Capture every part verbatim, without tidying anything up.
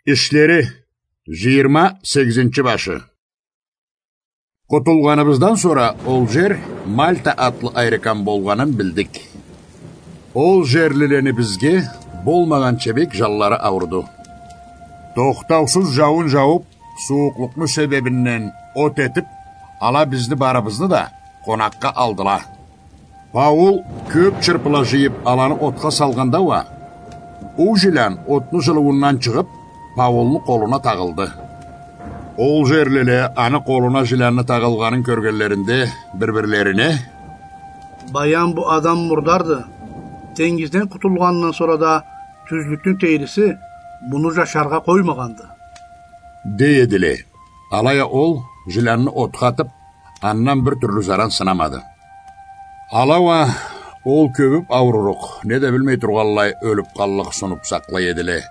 Ишлери, жыйырма сегизинчи башы. Къутулгъаныбыздан сора ол жер Мальта атлы айрыкам болгъанын билдик. Ол жерлилени бизге болмагъанча бек жанлары ауруду. Тохтаусуз жауун жаууб, сууукълукъну себебинден от этиб, ала бизни барыбызны да къонакъгъа алдыла. Паул кёб чырпыла жыйыб, аланы отха салгъанда уа, уу жилян отну жылыуундан чыгъыб, Паулну къолуна тагъылды. Ол жерлиле аны къолуна жилянны тагъылгъанын кёргенлеринде бир-бирлерине: «Баям бу адам мурдарды. Тенгизден къутулгъандан сора да тюзлюкню тейриси муну жашаргъа къоймагъанды», — дей эдиле. Алай а ол жилянны отха атыб, андан бир тюрлю заран сынамады. Ала уа ол кёбюб аурурукъ, не да билмей тургъанлай, ёлюб къаллыкъ сунуб сакълай эдиле.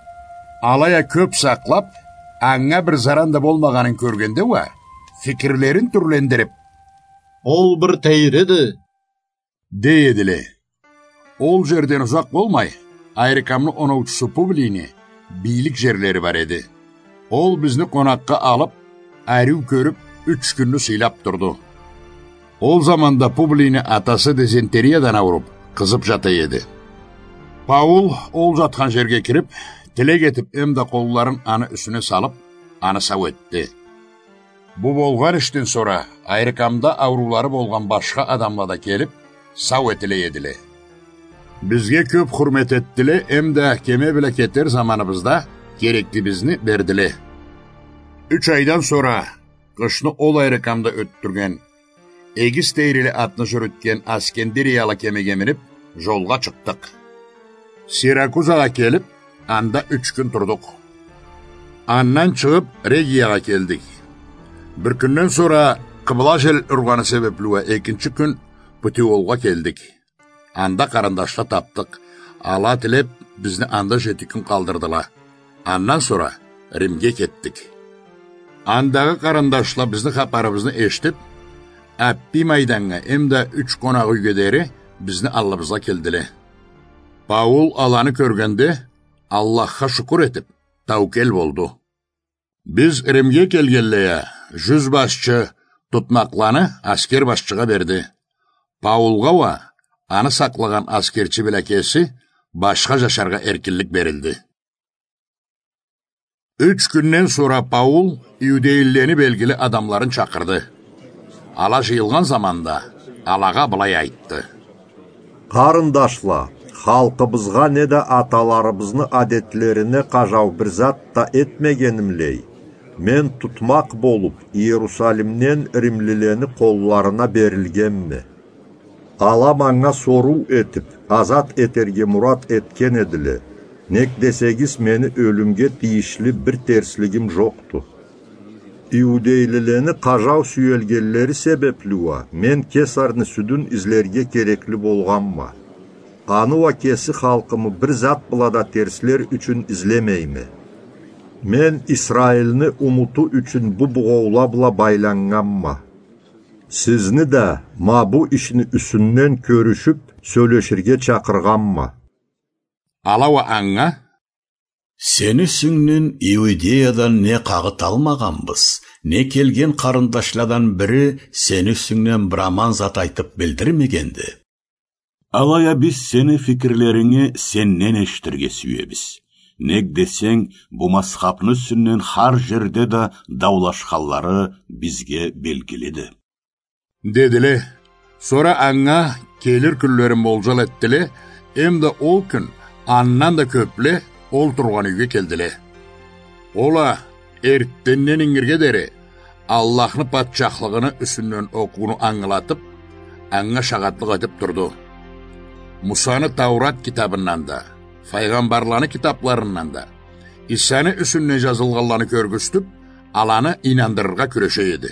Алай а кёб сакълаб, анга бир заран да болмагъанын кёргенде уа, фикирлерин тюрлендириб: «Ол бир тейриди», — дей эдиле. Ол жерден узакъ болмай, айрыкамны оноучусу Публийни бийлик жерлери бар эди. Ол бизни къонакъгъа алыб, ариу кёрюб, юч кюнню сыйлаб турду. Ол заманда Публийни атасы дизентериядан ауруб, къызыб жата эди. Паул ол жатхан жерге кириб, тилек этиб, эмда къолларын аны юсюне салыб, аны сау этди. Бу болгъан ишден сора айрыкамда ауруулары болгъан башха адамла да келиб, сау этиле эдиле. Бизге кёб хурмет этдиле, эмда кеме бла кетер заманыбызда кереклибизни бердиле. Юч айдан сора къышны ол айрыкамда ётдюрген, эгиз тейрили атны жюрютген Аскендириялы кемеге миниб, жолгъа чыкъдыкъ. Сиракузагъа келиб, анда юч кюн турдукъ. Андан чыгъыб, Региягъа келдик. Бир кюнден сора къыбла жел ургъаны себебли уа экинчи кюн Путиолгъа келдик. Анда къарындашла тапдыкъ. Ала тилеб, бизни анда жети кюн къалдырдыла. Андан сора Римге кетдик. Андагъы къарындашла бизни хапарыбызны эшитиб, Аппий майданнга эмда юч къонакъ юйге дери бизни аллыбызгъа келдиле. Паул аланы кёргенде, Аллахха шукур этиб, таукел болду. Биз Римге келгенлей а, жюз башчы тутмакъланы аскер башчыгъа берди. Паулгъа уа аны сакълагъан аскерчи бла кеси башха жашаргъа эркинлик берилди. Юч кюнден сора Паул иудейлилени белгили адамларын чакъырды. Ала жыйылгъан заманда алагъа былай айтды: «Къарындашла, халкъыбызгъа неда аталарыбызны адетлерине къажау бир зат да этмегенимлей, мен тутмакъ болуб, Иерусалимден римлилени къолларына берилгенме. Ала манга соруу этиб, азат этерге мурат этген эдиле. Нек десегиз, мени ёлюмге тийишли бир терслигим жокъду. Иудейлилени къажау сюелгенлери себебли уа мен Кесарны сюдюн излерге керекли болгъанма. Аны уа кеси халкъымы бир зат бла да терслер ючюн излемейме. Мен Исраилни умуту ючюн бу бугъоула бла байланнганма. Сизни да ма бу ишни юсюнден кёрюшюб, сёлеширге чакъыргъанма». Ала уа анга: «Сени юсюнгден Иудеядан не къагъыт алмагъанбыз, не келген къарындашладан бири сени юсюнгден бир аман зат айтыб билдирмегенди. Алай а биз сени фикирлеринги сенден эшитирге сюебиз. Нек десенг, бу мазхабны юсюнден хар жерде да даулашханлары бизге белгилиди», — дедиле. Сора анга келир кюнлерин болжал этдиле, эмда ол кюн андан да кёбле ол тургъан юйге келдиле. Ол а эртденден ингирге дери Аллахны патчахлыгъыны юсюнден окъууну ангылатыб, анга шагъатлыкъ этиб турду. Мусаны Таурат китабындан да, файгъамбарланы китабларындан да, Исаны юсюнден жазылгъанланы кёргюзтюб, аланы ийнандырыргъа кюреше эди.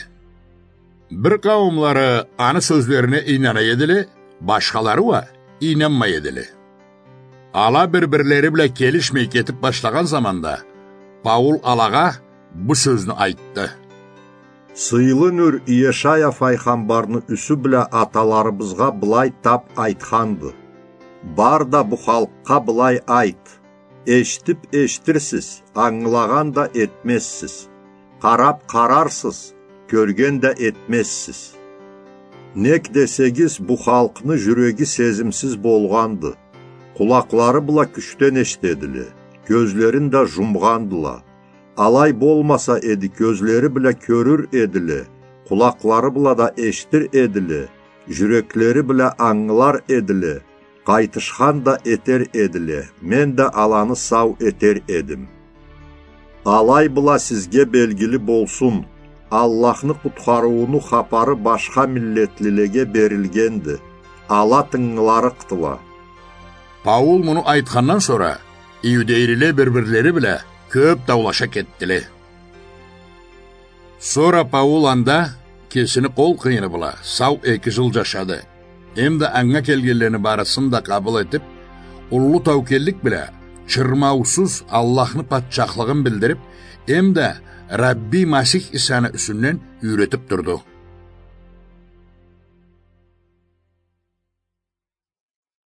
Бир къауумлары аны сёзлерине ийнана эдиле, башхалары уа ийнанмай эдиле. Ала бир-бирлери бла келишмей кетиб башлагъан заманда, Паул алагъа бу сёзню айтды: «Сыйлы нюр Иешая файгъамбарны юсю бла аталарыбызгъа былай таб айтханды: „Бар да бу халкъгъа былай айт: Эшитип эшитирсиз, ангылагъан да этмезсиз. Къарап къарарсыз, кёрген да этмезсиз. Нек десегиз, бу халкъны жюреги сезимсиз болгъанды. Къулакълары бла кючден эшитедиле, кёзлерин да жумгъандыла. Алай болмаса эди, кёзлери бла кёрюр эдиле, къулакълары бла да эшитир эдиле, жюреклери бла ангылар эдиле, къайтышхан да этер эдиле, мен да аланы сау этер эдим. Алай бла сизге белгили болсун, Аллахны къутхарыууну хапары башха миллетлилеге берилгенди, ала тынгыларыкъдыла. Паул муну айтхандан сора, иудейлиле бир-бирлери бла кёп даулаша кетдиле. Сора Паул анда кесини къол къыйыны бла сау эки жыл жашады. Эмда анга келгенлени барысын да къабыл этип, уллу таукеллик бла чырмаусуз Аллахны патчахлыгъын билдирип, эмда Рабби Масих Исаны юсюнден юйретип турду.